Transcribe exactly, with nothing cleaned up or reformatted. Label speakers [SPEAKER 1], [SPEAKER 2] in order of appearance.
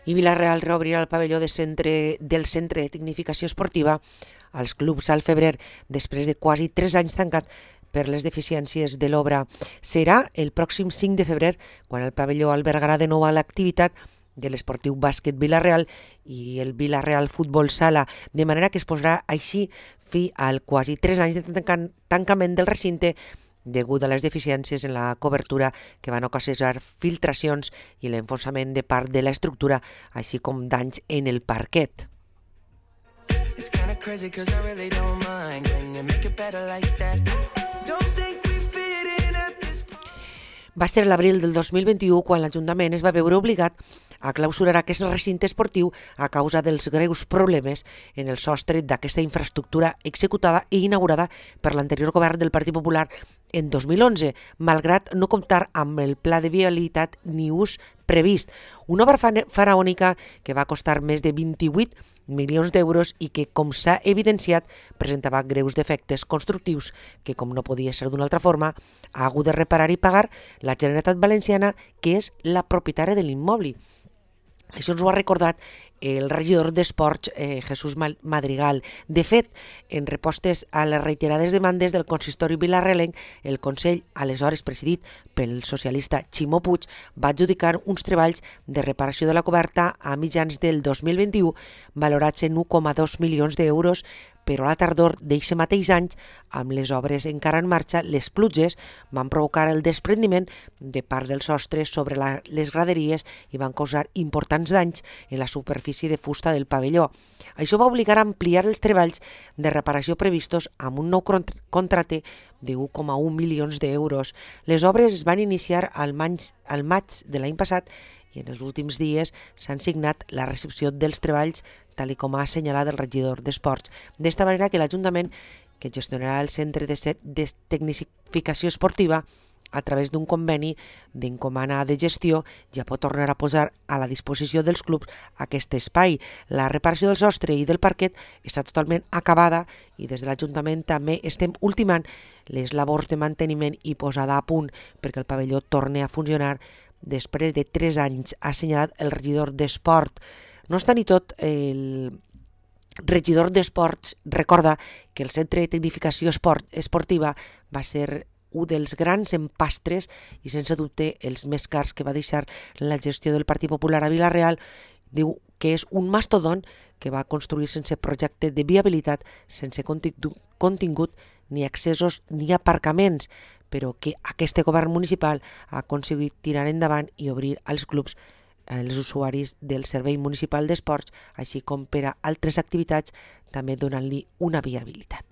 [SPEAKER 1] I Vila-real reobrirà el pavelló de centre, del Centre de Tecnificació Esportiva als clubs al febrer, després de quasi tres anys tancat per les deficiències de l'obra. Serà el pròxim cinc de febrer, quan el pavelló albergarà de nou l'activitat de l'esportiu bàsquet Vila-real i el Vila-real Futbol Sala, de manera que es posarà així fi al quasi tres anys de tanca- tancament del recinte degut a les deficiències en la cobertura que van ocasionar filtracions i l'enfonsament de part de l'estructura, així com danys en el parquet. It's kinda crazy 'cause I really don't mind. Can you make it better like that? Don't think we fit in at this point. Va ser l'abril del dos mil vint-i-u quan l'Ajuntament es va veure obligat a clausurar aquest recinte esportiu a causa dels greus problemes en el sostre d'aquesta infraestructura executada i inaugurada per l'anterior govern del Partit Popular en dos mil onze, malgrat no comptar amb el pla de viabilitat ni ús previst. Una obra faraònica que va costar més de vint-i-vuit milions d'euros i que, com s'ha evidenciat, presentava greus defectes constructius que, com no podia ser d'una altra forma, ha hagut de reparar i pagar la Generalitat Valenciana, que és la propietària de l'immoble. Això ens ho ha recordat el regidor d'Esports, eh, Jesús Madrigal. De fet, en respostes a les reiterades demandes del consistori vilarrealenc, el Consell, aleshores presidit pel socialista Ximo Puig, va adjudicar uns treballs de reparació de la coberta a mitjans del dos mil vint-i-u, valorats en u coma dos milions d'euros, però a la tardor d'eixe mateix any, amb les obres encara en marxa, les pluges van provocar el desprendiment de part del sostre sobre la, les graderies i van causar importants danys en la superfície de fusta del pavelló. Això va obligar a ampliar els treballs de reparació previstos amb un nou contracte de u coma un milions d'euros. Les obres es van iniciar al maig, al maig de l'any passat i en els últims dies s'han signat la recepció dels treballs, tal com ha assenyalat el regidor d'Esports. D'esta manera que l'Ajuntament, que gestionarà el Centre de Tecnificació Esportiva a través d'un conveni d'encomana de gestió, ja pot tornar a posar a la disposició dels clubs aquest espai. La reparació del sostre i del parquet està totalment acabada i des de l'Ajuntament també estem ultimant les labors de manteniment i posada a punt perquè el pavelló torni a funcionar després de tres anys, ha assenyalat el regidor d'Esport. No obstant i tot, el regidor d'Esports recorda que el Centre de Tecnificació Esport Esportiva va ser un dels grans empastres i sense dubte els més cars que va deixar la gestió del Partit Popular a Vila-real. Diu que és un mastodont que va construir sense projecte de viabilitat, sense contingut, ni accessos ni aparcaments, però que aquest govern municipal ha aconseguit tirar endavant i obrir als clubs els usuaris del Servei Municipal d'Esports, així com per a altres activitats, també donant-li una viabilitat.